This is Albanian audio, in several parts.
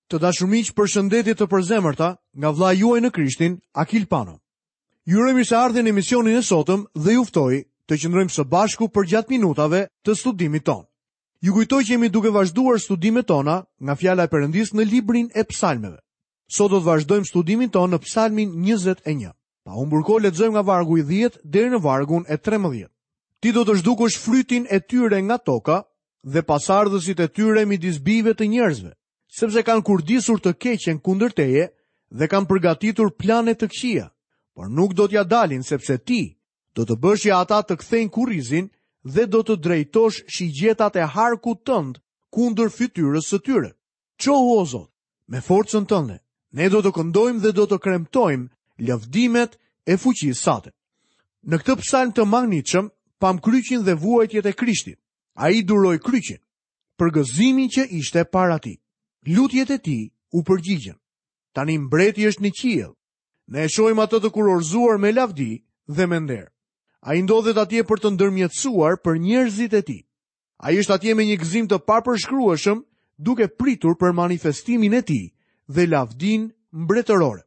Të dashur miq, përshëndetje të përzemërta nga vëllai juaj në Krishtin, Akil Pano. Ju uroj mirëseardhjen në emisionin e sotëm dhe ju ftoj të qëndrojmë së bashku përgjatë minutave të studimit tonë. Ju kujtoj që jemi duke vazhduar studimet tona nga fjala e Perëndisë në librin e Psalmeve. Sot do të vazhdojmë studimin tonë në Psalmin 21. Pa humbur kohë lexojmë nga vargu i 10 deri në vargun e 13. Ti do të zhdukësh frytin e tyre nga toka dhe pasardhësit e tyre midis bijve të njerëzve, sepse kanë kurdisur të keqen kundër teje dhe kanë përgatitur plane të këqija, por nuk do t'ia dalin sepse ti do të bësh që ata të kthejnë kurrizin dhe do të drejtosh shigjetat e harkut tënd kundër fytyrës së tyre. Çohu o Zot, me forcën tënde. Ne do të këndojmë dhe do të kremtojmë lëvdimet e fuqisë sate. Në këtë psalm të mahnitshëm, pamë kryqin dhe vuajtjet e Krishtit. Ai duroi kryqin, për gëzimin që ishte para tij. Lutjet e tij u përgjigjën. Tani mbreti është në qiell. Ne e shohim atë të kurorëzuar me lavdi dhe me nder. Ai ndodhet atje për të ndërmjetësuar për njerëzit e tij. Ai është atje me një gëzim të papërshkrueshëm, duke pritur për manifestimin e tij dhe lavdinë mbretërore.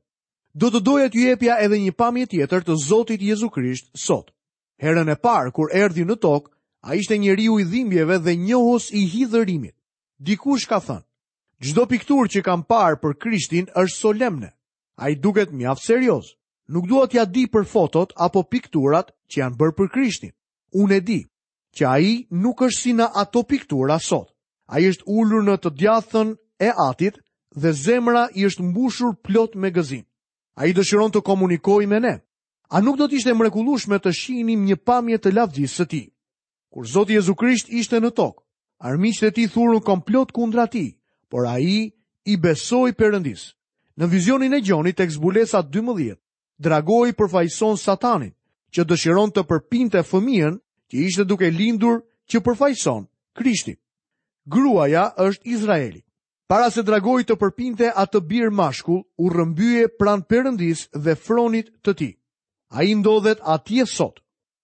Do të doja t'ju jepja edhe një pamje tjetër të Zotit Jezu Krisht sot. Herën e parë kur erdhi në tokë, ai ishte njeriu i dhimbjeve dhe njohës i hidhërimit. Dikush ka thënë, çdo pikturë që kam parë për Krishtin është solemne. Ai duket mjaft serioz. Nuk dua t'ia di për fotot apo pikturat që janë bërë për Krishtin. Unë e di që ai nuk është si në ato piktura sot. Ai është ulur në të djathtën e Atit dhe zemra i është mbushur plot me gëzim. Ai dëshiron të komunikojë me ne. A nuk do të ishte e mrekullueshme të shihnim një pamje të lavdisë së tij? Kur Zoti Jezu Krisht ishte në tokë, armiqtë e tij thurën komplot kundra tij, por ai i besoi Perëndisë. Në vizionin e Gjonit tek Zbulesa 12, Dragoi përfaqëson Satanin, që dëshiron të përpinte fëmijën që ishte duke lindur që përfaqëson Krishtin. Gruaja është Izraeli. Para se dragoi të përpinte atë bir mashkull, u rrëmbye pranë Perëndisë dhe fronit të tij. Ai ndodhet atje sot.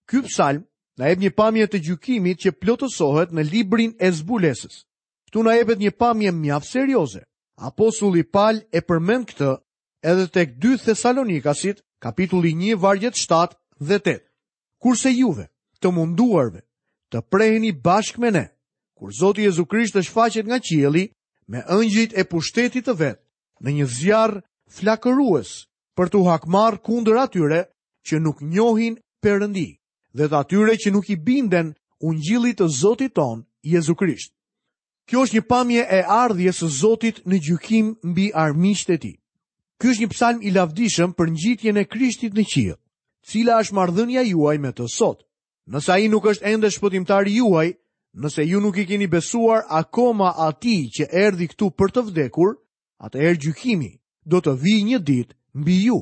Ky psalm na jep një pamje të gjykimit që plotësohet në librin e zbulesës. Këtu na jepet një pamje mjaft serioze. Apostulli Pal e përmend këtë edhe tek 2 Thesalonikasit, kapitulli 1, vargjet 7 dhe 8. Kurse juve, të munduarve, të preheni bashkë me ne, kur Zoti Jezu Krisht të shfaqet nga qielli me ëngjëjt e pushtetit të vet, në një zjarr flakërues, për t'u hakmarrë kundër atyre që nuk njohin Perëndi dhe të atyre që nuk i binden ungjillit të Zotit tonë Jezu Krisht. Kjo është një pamje e ardhjes së Zotit në gjykim mbi armiqtë e tij. Ky është një psalm i lavdishëm për ngjitjen e Krishtit në qiell. Cila është marrëdhënia juaj me të sot? Nëse ai nuk është ende shpëtimtari juaj, nëse ju nuk i keni besuar akoma atij që erdhi këtu për të vdekur, atëherë gjykimi do të vijë një ditë mbi ju.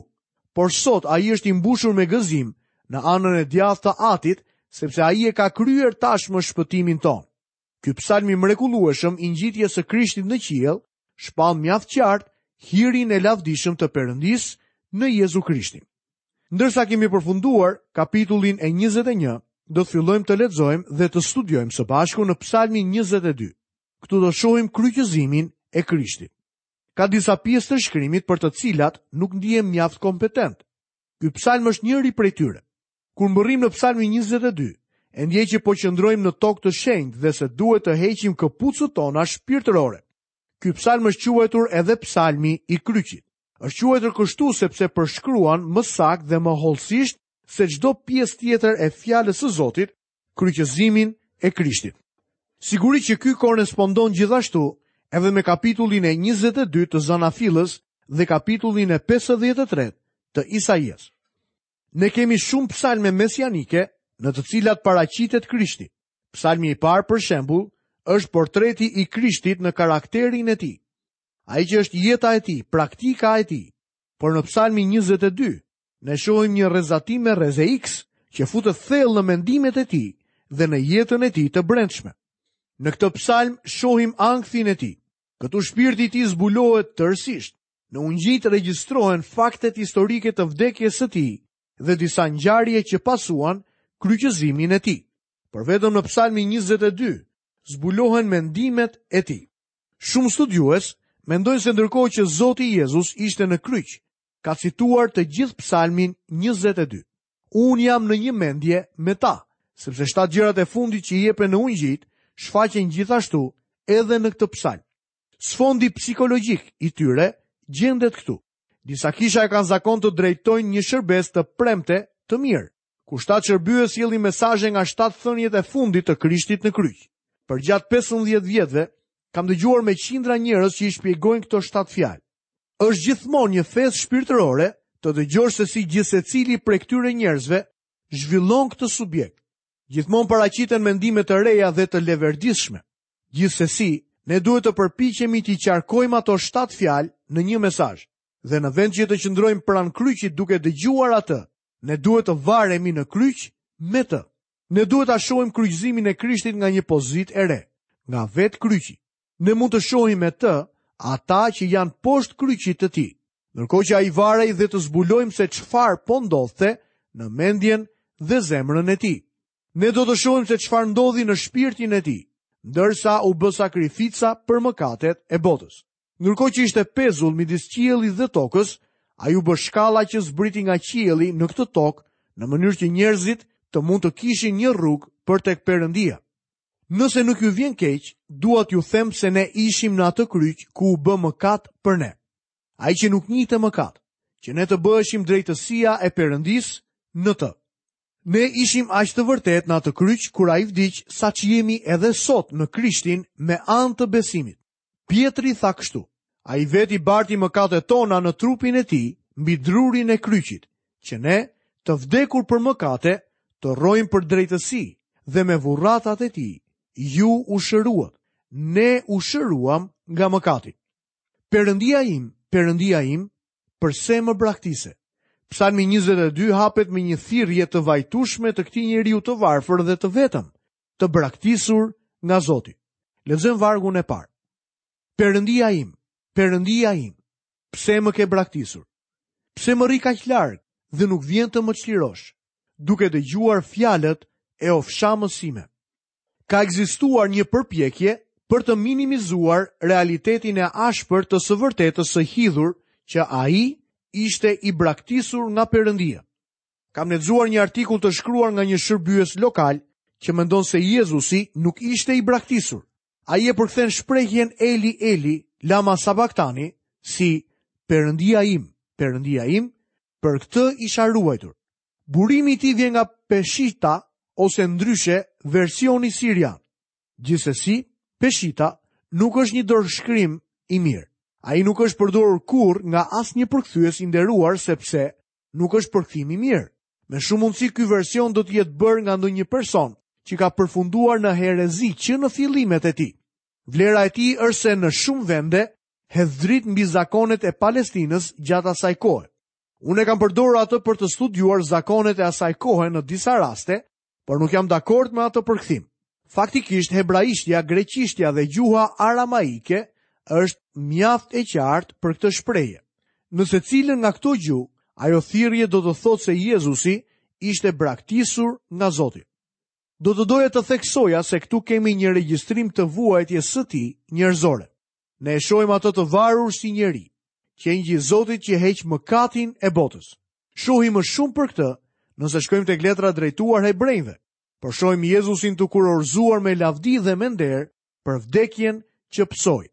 Por sot ai është i mbushur me gëzim në anën e djathtë të Atit, sepse ai e ka kryer tashmë shpëtimin tonë. Ky psalm i mrekullueshëm i ngjitjes së Krishtit në qiell shpall mjaft qartë hirin e lavdishëm të Perëndisë në Jezu Krishtin. Ndërsa kemi përfunduar kapitullin e 21, do të fillojmë të lexojmë dhe të studiojmë së bashku në psalmin 22. Këtu do shohim kryqëzimin e Krishtit. Ka disa pjesë të shkrimit për të cilat nuk ndihem mjaft kompetent. Ky psalm është njëri prej tyre. Kur mbërrijmë në Psalmin 22, e ndjej që po qëndrojmë në tokë të shenjtë dhe se duhet të heqim këpucët tona shpirtërore. Ky psalm është quajtur edhe psalmi i kryqit. Është quajtur kështu sepse përshkruan më saktë dhe më hollësisht se çdo pjesë tjetër e fjalës së Zotit, kryqëzimin e Krishtit. Sigurisht që ky korrespondon gjithashtu edhe me kapitullin e 22 të Zanafillës dhe kapitullin e 53 të Isaias. Ne kemi shumë psalme mesianike në të cilat paraqitet Krishti. Psalmi i parë, për shembull, është portreti i Krishtit në karakterin e tij. Ai që është jeta e tij, praktika e tij. Por në psalmin 22, ne shohim një rrezatim me rreze X që futet thellë në mendimet e tij dhe në jetën e tij të brendshme. Në këtë psalm shohim ankthin e tij. Këtu shpirti i tij zbulohet tërësisht. Në ungjijtë regjistrohen faktet historike të vdekjes së tij dhe disa ngjarje që pasuan kryqëzimin e tij. Por vetëm në Psalmin 22 zbulohen mendimet e tij. Shumë studiues mendojnë se ndërkohë që Zoti Jezus ishte në kryq, ka cituar të gjithë psalmin 22. Unë jam në një mendje me ta, sepse shtatë gjërat e fundit që jepen në ungjijtë shfaqen gjithashtu edhe në këtë psalm. Sfondi psikologjik i tyre gjendet këtu. Disa kisha e kanë zakon të drejtojnë një shërbesë të premte të mirë, ku shtatë shërbyes sjellin mesazhe nga shtatë thëniet e fundit të Krishtit në kryq. Përgjatë 15 vjetëve, kam dëgjuar me qindra njerëz që i shpjegojnë këto shtatë fjalë. Është gjithmonë një festë shpirtërore të dëgjosh se si gjithsecili prej këtyre njerëzve zhvillon këtë subjekt. Gjithmonë paraqiten mendime të reja dhe të leverdisshme. Gjithsesi, ne duhet të përpiqemi t'i qarkojmë ato shtatë fjalë në një mesazh. Dhe në vend që të qëndrojmë pranë kryqit duke dëgjuar atë, ne duhet të varemi në kryq me të. Ne duhet ta shohim kryqëzimin e Krishtit nga një pozitë e re, nga vetë kryqi. Ne mund të shohim me të ata që janë poshtë kryqit të tij, ndërkohë që ai varej dhe të zbulojmë se çfarë po ndodhte në mendjen dhe zemrën e tij. Ne do të shohim se çfarë ndodhi në shpirtin e tij, ndërsa u bë sakrifica për mëkatet e botës. Ndërkohë që ishte pezull midis qiellit dhe tokës, ai u bë shkalla që zbriti nga qielli në këtë tokë, në mënyrë që njerëzit të mund të kishin një rrugë për tek Perëndia. Nëse nuk ju vjen keq, dua t'ju them se ne ishim në atë kryq ku u bë mëkat për ne. Ai që nuk njihte mëkat, që ne të bëheshim drejtësia e Perëndisë në të. Ne ishim aq të vërtetë në atë kryq kur ai vdiq sa ç'jemi edhe sot në Krishtin me anë të besimit. Pjetri tha kështu, ai vetë i barti mëkatet tona në trupin e tij mbi drurin e kryqit, që ne, të vdekur për mëkate, të rrojmë për drejtësi dhe me vurratat e tij, ju u shëruat, ne u shëruam nga mëkati. Perëndia im, Perëndia im, përse më braktise? Psalmi 22 hapet me një thirrje të vajtueshme të këtij njeriu të varfër dhe të vetëm, të braktisur nga Zoti. Lexojmë vargun e parë. Perëndia im, Perëndia im, pse më ke braktisur? Pse më rri kaq larg dhe nuk vjen të më çlirosh, duke dëgjuar fjalët e ofshamës sime? Ka ekzistuar një përpjekje për të minimizuar realitetin e ashpër të së vërtetës së hidhur që ai ishte i braktisur nga Perëndia. Kam lexuar një artikull të shkruar nga një shërbyes lokal që mendon se Jezusi nuk ishte i braktisur. Ai e përkthen shprehjen Eli Eli lama sabaktani si Perëndia im, Perëndia im, për këtë isha ruajtur. Burimi i tij vjen nga Peshita ose ndryshe versioni sirian. Gjithsesi, Peshita nuk është një dorëshkrim i mirë. Ai nuk është përdorur kurrë nga asnjë përkthyes i nderuar sepse nuk është përkthim i mirë. Me shumë mundësi ky version do të jetë bërë nga ndonjë person që ka përfunduar në herezi që në fillimet e tij. Vlera e tij është se në shumë vende hedh dritë mbi zakonet e Palestinës gjatë asaj kohe. Unë e kam përdorur atë për të studiuar zakonet e asaj kohe në disa raste, por nuk jam dakord me atë përkthim. Faktikisht hebraishtja, greqishtja dhe gjuha aramaike është mjaft e qartë për këtë shprehje. Në secilën nga këto gjuhë, ajo thirrje do të thotë se Jezusi ishte braktisur nga Zoti. Do të doja të theksoja se këtu kemi një regjistrim të vuajtjes së tij njerëzore. Ne e shohim atë të varur si njeri, qengji i Zotit që heq mëkatin e botës. Shohim më shumë për këtë nëse shkojmë tek letra drejtuar hebrenjve, por shohim Jezusin të kurorëzuar me lavdi dhe me nder për vdekjen që pësoi.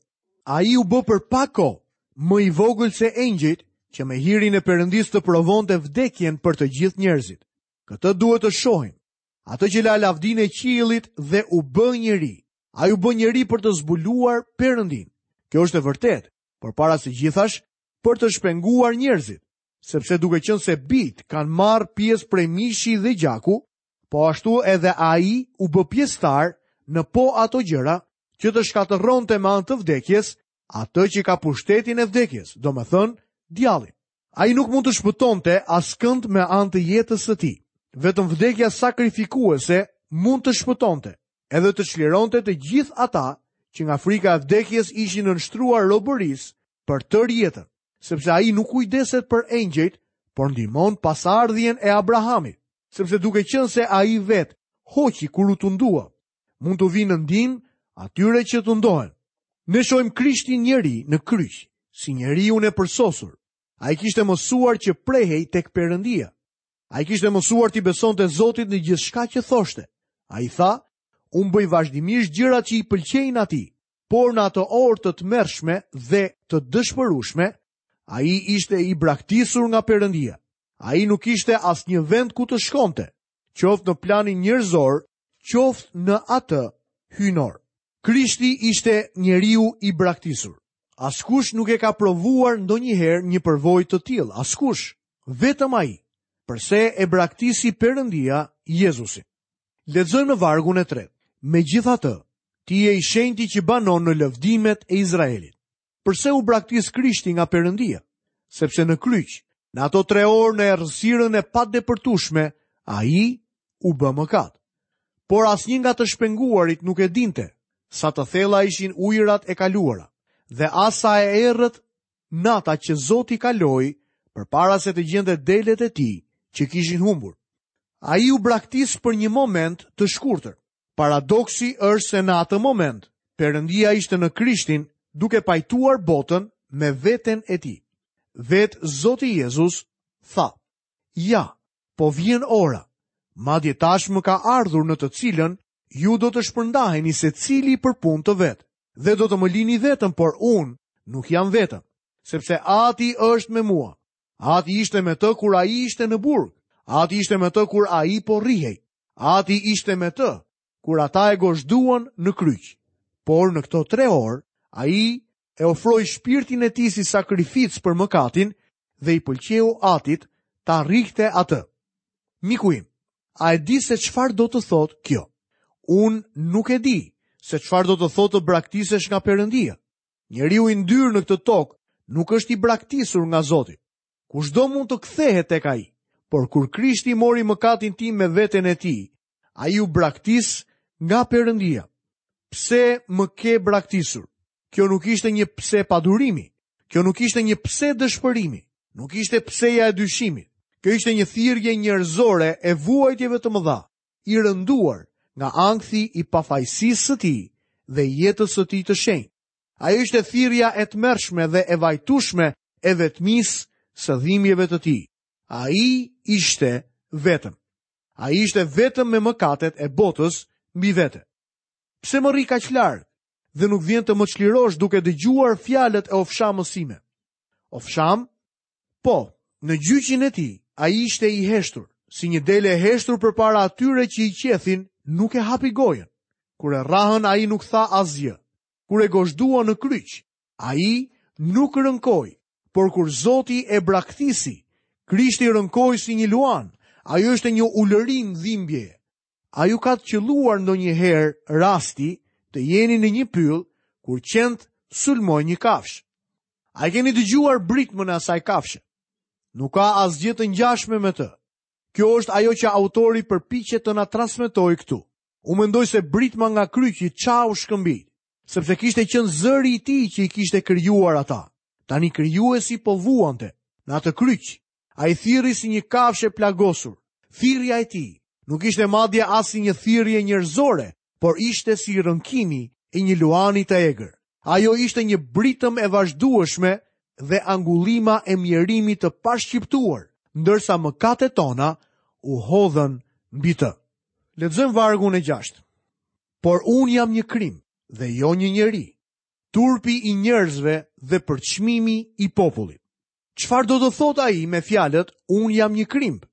Ai u bë për pak kohë më i vogël se engjëjt që me hirin e Perëndisë të provonte vdekjen për të gjithë njerëzit. Këtë duhet të shohim. Atë që la lavdinë e qiellit dhe u bë njeri. Ai u bë njeri për të zbuluar Perëndinë. Kjo është e vërtetë, por para së gjithash për të shpenguar njerëzit, sepse duke qenë se bijtë kanë marrë pjesë prej mishi dhe gjaku, po ashtu edhe ai u bë pjesëtar në po ato gjëra që të shkatërronte me anë të vdekjes atë që ka pushtetin e vdekjes, domethënë djallin. Ai nuk mund të shpëtonte askënd me anë të jetës së tij. Vetëm vdekja sakrifikuese mund të shpëtonte, edhe të çlironte të gjithë ata që nga frika e vdekjes ishin nënshtruar robërisë për tërë jetën, sepse ai nuk kujdeset për engjëjt, por ndihmon pasardhjen e Abrahamit, sepse duke qenë se ai vetë hoqi kur u tundua, mund t'u vijë në ndihmë atyre që tundohen. Ne shohim Krishtin njeri në kryq, si njeriun e përsosur. Ai kishte mësuar që prehej tek Perëndia. Ai kishte mësuar t'i besonte Zotit në gjithçka që thoshte. Ai tha, unë bëj vazhdimisht gjërat që i pëlqejnë atij, por në atë orë të tmerrshme dhe të dëshpërueshme, ai ishte i braktisur nga Perëndia. Ai nuk kishte asnjë vend ku të shkonte, qoftë në planin njerëzor, qoftë në atë hyjnor. Krishti ishte njeriu i braktisur. Askush nuk e ka provuar ndonjëherë një përvojë të tillë, askush, vetëm ai. Përse e braktisi Perëndia Jezusin? Lexojmë në vargun e tretë. Megjithatë, ti je i shenjti që banon në lëvdimet e Izraelit. Përse u braktis Krishti nga Perëndia? Sepse në kryq, në ato tre orë në errësirën e padepërtueshme, ai u bë mëkat. Por asnjë nga të shpenguarit nuk e dinte sa të thella ishin ujërat e kaluara dhe as sa e errët nata që Zoti kaloi përpara se të gjente delet e tij që kishin humbur. Ai u braktis për një moment të shkurtër. Paradoksi është se në atë moment, Perëndia ishte në Krishtin duke pajtuar botën me veten e tij. Vetë Zoti Jezus tha, Ja, po vjen ora, madje tashmë ka ardhur në të cilën ju do të shpërndaheni secili për punë të vet, dhe do të më lini vetëm, por unë nuk jam vetëm, sepse Ati është me mua. Ati ishte me të kur ai ishte në burg. Ati ishte me të kur ai po rrihej. Ati ishte me të kur ata e gozhduan në kryq. Por në këto tre orë, ai e ofroi shpirtin e tij si sakrificë për mëkatin dhe i pëlqeu Atit ta rrihte atë. Miku im, a e di se çfarë do të thotë kjo? Unë nuk e di se çfarë do të thotë të braktisesh nga Perëndia. Njeriu i ndyrë në këtë tokë nuk është i braktisur nga Zoti. Kushdo mund të kthehet tek ai, por kur Krishti mori mëkatin tim me veten e tij, ai u braktis nga Perëndia. Pse më ke braktisur? Kjo nuk ishte një pse padurimi. Kjo nuk ishte një pse dëshpërimi. Nuk ishte pseja e dyshimit. Kjo ishte një thirrje njerëzore e vuajtjeve të mëdha, i rënduar nga ankthi i pafajësisë së tij dhe jetës së tij të shenjtë. Ajo ishte thirrja e tmerrshme dhe e vajtueshme e vetmisë së dhimbjeve të tij. Ai ishte vetëm. Ai ishte vetëm me mëkatet e botës mbi vete. Pse më rri kaq larg dhe nuk vjen të më çlirosh duke dëgjuar fjalët e ofshamës sime? Ofshamë? Po, në gjyqin e tij, ai ishte i heshtur, si një dele e heshtur përpara atyre që i qethin, nuk e hapi gojën. Kur e rrahën, ai nuk tha asgjë. Kur e gozhduan në kryq, ai nuk rënkoi, por kur Zoti e braktisi, Krishti rënkoi si një luan. Ajo ishte një ulërimë dhimbjeje. A ju ka qëlluar ndonjëherë rasti të jeni në një pyll kur qentë sulmojnë një kafshë? A e keni dëgjuar britmën e asaj kafshe? Nuk ka asgjë të ngjashme me të. Kjo është ajo që autori përpiqet të na transmetojë këtu. Unë mendoj se britma nga kryqi çau shkëmbinjtë, sepse kishte qenë zëri i tij që i kishte krijuar ata. Tani krijuesi po vuante në atë kryq. Ai thirri si një kafshë e plagosur. Thirrja e tij nuk ishte madje as si një thirrje njerëzore, por ishte si rënkimi i një luani të egër. Ajo ishte një britmë e vazhdueshme dhe angullima e mjerimit të pashqiptuar, ndërsa mëkatet tona u hodhën mbi të. Lexojmë vargun e gjashtë. Por unë jam një krimb dhe jo një njeri, turpi i njerëzve dhe përçmimi i popullit. Çfarë do të thotë ai me fjalët unë jam një krimb?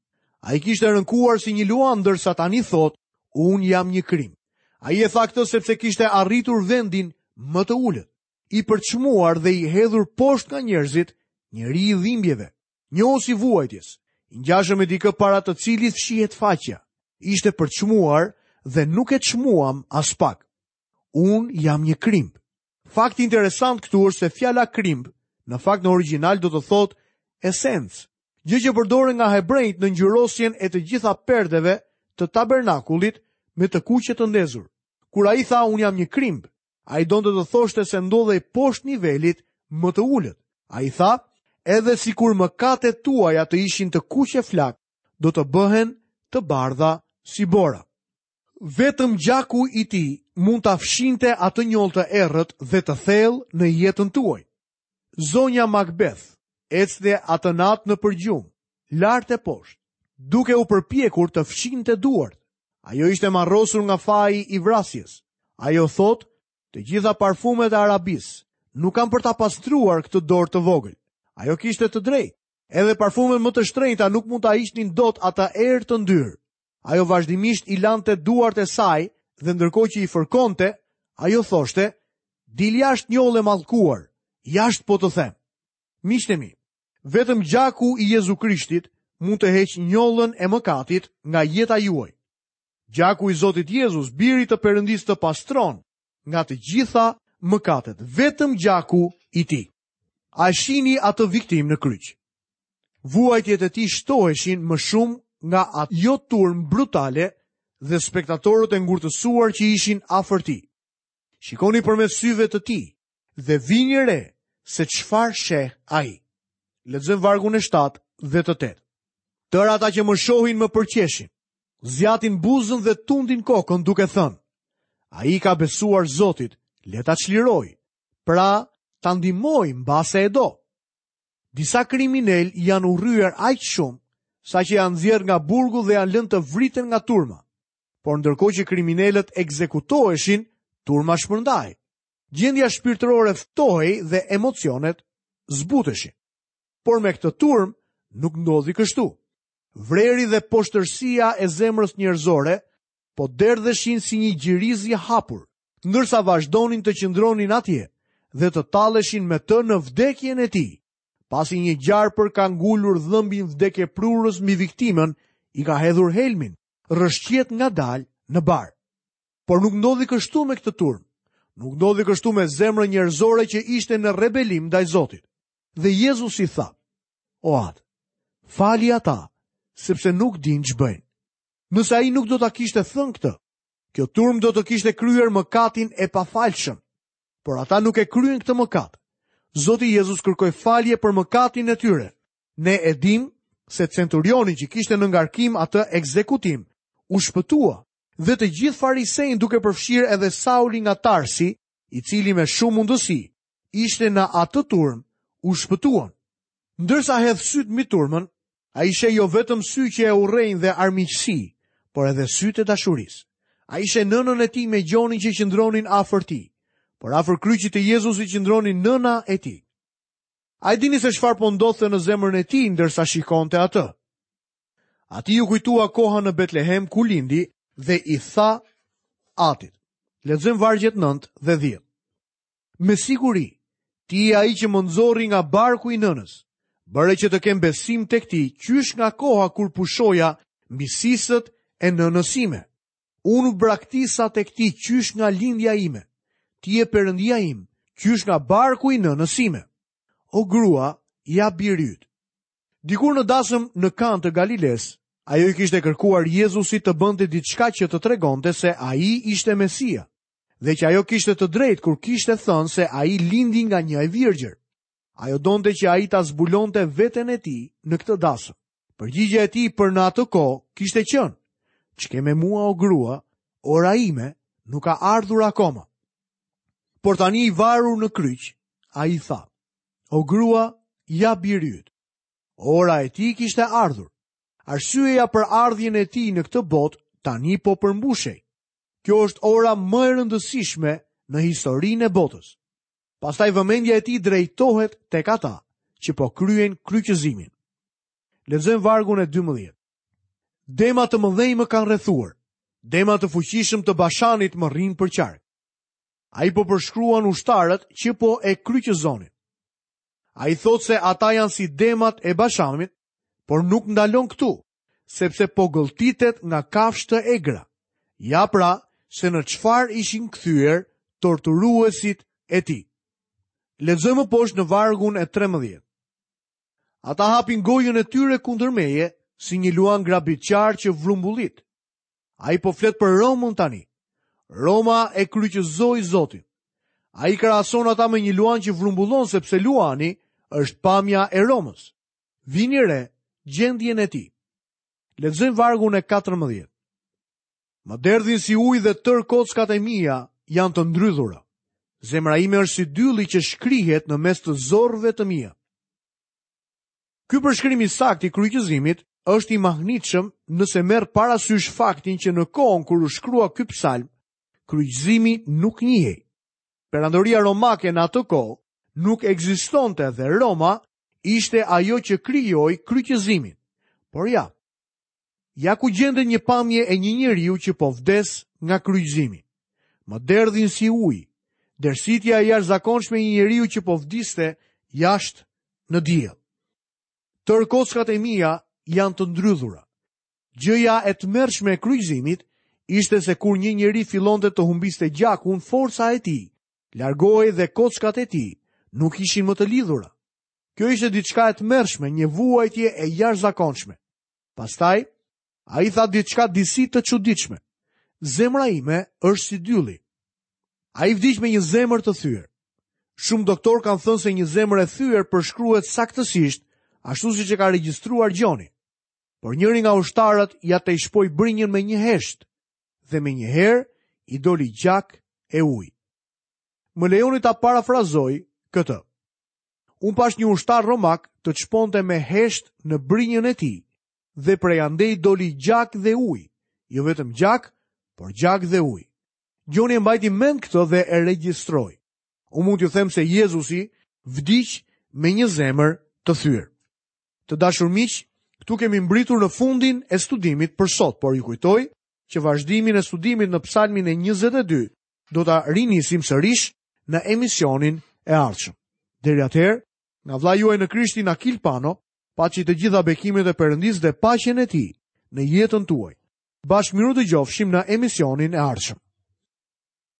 Ai kishte rënkuar si një luan ndërsa tani thotë unë jam një krimb. Ai e tha këtë sepse kishte arritur vendin më të ulët, i përçmuar dhe i hedhur poshtë nga njerëzit, njeri i dhimbjeve, njohës i vuajtjes, i ngjashëm me dikë para të cilit fshihet faqja. Ishte përçmuar dhe nuk e çmuam aspak. Unë jam një krimb. Fakti interesant këtu është se fjala krimb, në fakt në origjinal do të thotë esencë, gjë që përdorej nga hebrenjtë në ngjyrosjen e të gjitha perdeve të tabernakullit me të kuqe të ndezur. Kur ai tha unë jam një krimb, ai donte të thoshte se ndodhej poshtë nivelit më të ulët. Ai tha, edhe sikur mëkatet tuaja të ishin të kuqe flakë, do të bëhen të bardha si bora. Vetëm gjaku i tij mund ta fshinte atë njollë të errët dhe të thellë në jetën tuaj. Zonja Macbeth ecte atë natë nëpër gjumë, lart e poshtë, duke u përpjekur të fshinte duart. Ajo ishte marrosur nga faji i vrasjes. Ajo thotë, të gjitha parfumet e Arabisë nuk kanë për ta pastruar këtë dorë të vogël. Ajo kishte të drejtë. Edhe parfumet më të shtrenjta nuk mund ta hiqnin dot atë erë të ndyrë. Ajo vazhdimisht i lante duart e saj dhe ndërkohë që i fërkonte, ajo thoshte, "Dil jashtë njollë e mallkuar, jashtë po të them." Miqtë e mi, vetëm gjaku i Jezu Krishtit mund të heqë njollën e mëkatit nga jeta juaj. Gjaku i Zotit Jezus, birit të Perëndisë të pastron nga të gjitha mëkatet, vetëm gjaku i tij. A e shihni atë viktimë në kryq? Vuajtjet e tij shtoheshin më shumë nga ajo turmë brutale dhe spektatorët e ngurtësuar që ishin afër tij. Shikoni përmes syve të tij dhe vini re se çfarë sheh ai. Lexojmë vargun e 7 dhe të 8. Tërë ata që më shohin më përqeshin, zgjatin buzën dhe tundin kokën duke thënë, ai i ka besuar Zotit, le ta çlirojë, pra ta ndihmojë mbase e do. Disa kriminelë janë urryer aq shumë, saqë janë nxjerrë nga burgu dhe janë lënë të vriten nga turma. Por ndërkohë që kriminelët ekzekutoheshin, turma shpërndahej. Gjendja shpirtërore ftohej dhe emocionet zbuteshin. Por me këtë turmë nuk ndodhi kështu. Vreri dhe poshtërsia e zemrës njerëzore po derdheshin si një gjiriz i hapur, ndërsa vazhdonin të qëndronin atje dhe të talleshin me të në vdekjen e tij. Pasi një gjarpër ka ngulur dhëmbin vdekjeprurës mbi viktimën, i ka hedhur helmin, rrëshqet ngadalë në bar. Por nuk ndodhi kështu me këtë turmë. Nuk ndodhi kështu me zemrën njerëzore që ishte në rebelim ndaj Zotit. Dhe Jezusi tha, o Atë, fali ata, sepse nuk dinë ç'bëjnë. Nëse ai nuk do ta kishte thënë këtë, Kjo turmë do të kishte kryer mëkatin e pafalshëm. Por ata nuk e kryen këtë mëkat. Zoti Jezus kërkoi falje për mëkatin e tyre. Ne e dimë se centurioni që kishte në ngarkim atë ekzekutim u shpëtua dhe të gjithë farisenjtë duke përfshirë edhe Saulin nga Tarsi, i cili me shumë mundësi ishte në atë turmë, u shpëtuan. Ndërsa hedh sytë mbi turmën, ai sheh jo vetëm sy që e urrejnë dhe armiqësi, por edhe sytë e dashurisë. Ai sheh nënën e tij me Gjonin që qëndronin afër tij, por afër kryqit të Jezusit qëndronin nëna e tij. A e dini se çfarë po ndodhte në zemrën e tij ndërsa shikonte atë? Atij iu kujtua koha në Betlehem ku lindi dhe i tha atit. Lexojmë vargjet 9 dhe 10. Me siguri, ti je ai që më nxori nga barku i nënës. Bëre që të kem besim tek ti qysh nga koha kur pushoja mbi sisët e nënës sime. Unë u braktisa tek ti qysh nga lindja ime. Ti je Perëndia im, qysh nga barku i nënës sime. O grua, ja biri yt. Dikur në dasëm në Kanë të Galilesë, ajo i kishte kërkuar Jezusit të bënte diçka që të tregonte se ai ishte Mesia. dhe që ajo kishte të drejtë kur kishte thënë se ai lindi nga një e virgjër. Ajo donte që ai ta zbulonte veten e tij në këtë dasëm. Përgjigja e tij për në atë kohë kishte qenë: Ç'ke me mua o grua, ora ime nuk ka ardhur akoma. Por tani i varur në kryq, ai tha: O grua, ja biri yt. Ora e tij kishte ardhur. Arsyeja për ardhjen e tij në këtë botë tani po përmbushej. Kjo është ora më e rëndësishme në historinë e botës. Pastaj vëmendja e tij drejtohet tek ata që po kryejnë kryqëzimin. Lexojmë vargun e 12. Dema të mëdhenj më kanë rrethuar. Dema të fuqishëm të Bashanit më rrinë përqark. Ai po përshkruan ushtarët që po e kryqëzonin. Ai thotë se ata janë si demat e Bashanit, por nuk ndalon këtu. sepse po gëlltitet nga kafshë të egra. Ja pra, se në çfarë ishin kthyer torturuesit e tij. Lexojmë më poshtë në vargun e 13. Ata hapin gojën e tyre kundër meje, si një luan grabitqar që vrumbullit. Ai po flet për Romën tani. Roma e kryqëzoi Zotin. Ai krahason ata me një luan që vrumbullon sepse luani është pamja e Romës. Vini re gjendjen e tij. Lexojmë vargun e 14. Më derdhin si ujë dhe tërë kockat e mia janë të ndrydhura. Zemra ime është si dylli që shkrihet në mes të zorrëve të mia. Ky përshkrim i saktë i kryqëzimit është i mahnitshëm nëse merr parasysh faktin që në kohën kur u shkrua ky psalm, kryqëzimi nuk njihej. Perandoria romake në atë kohë nuk ekzistonte dhe Roma ishte ajo që krijoi kryqëzimin. Por ja, ja ku gjendet një pamje e një njeriu që po vdes nga kryqëzimi. Më derdhin si ujë, dërsitja e jashtëzakonshme e një njeriu që po vdiste jashtë në diell. Tërë kockat e mia janë të ndrydhura. Gjëja e tmerrshme e kryqëzimit ishte se kur një njeri fillonte të humbiste gjakun, forca e tij largohej dhe kockat e tij nuk ishin më të lidhura. Kjo ishte diçka e tmerrshme, një vuajtje e jashtëzakonshme. Pastaj, ai tha diçka disi të çuditshme. Zemra ime është si dylli. Ai vdiq me një zemër të thyer. Shumë doktorë kanë thënë se një zemër e thyer përshkruhet saktësisht ashtu siç e ka regjistruar Gjoni. Por njëri nga ushtarët ia tejshpoi brinjën me një heshtë dhe menjëherë i doli gjak e ujë. Më lejoni ta parafrazoj këtë. Unë pashë një ushtar romak të shponte me heshtë në brinjën e tij dhe prej andej doli gjak dhe ujë, jo vetëm gjak, por gjak dhe ujë. Gjoni e mbajti mend këtë dhe e regjistroi. Unë mund t'ju them se Jezusi vdiq me një zemër të thyer. Të dashur miq, këtu kemi mbërritur në fundin e studimit për sot, por ju kujtoj që vazhdimin e studimit në Psalmin e 22 do ta rinisim sërish në emisionin e ardhshëm. Deri atëherë, nga vëllai juaj në Krishtin Akil Pano, paçi të gjitha bekimet e Perëndisë dhe paqen e tij në jetën tuaj. Bashkë mirudëgjofshim në emisionin e ardhshëm.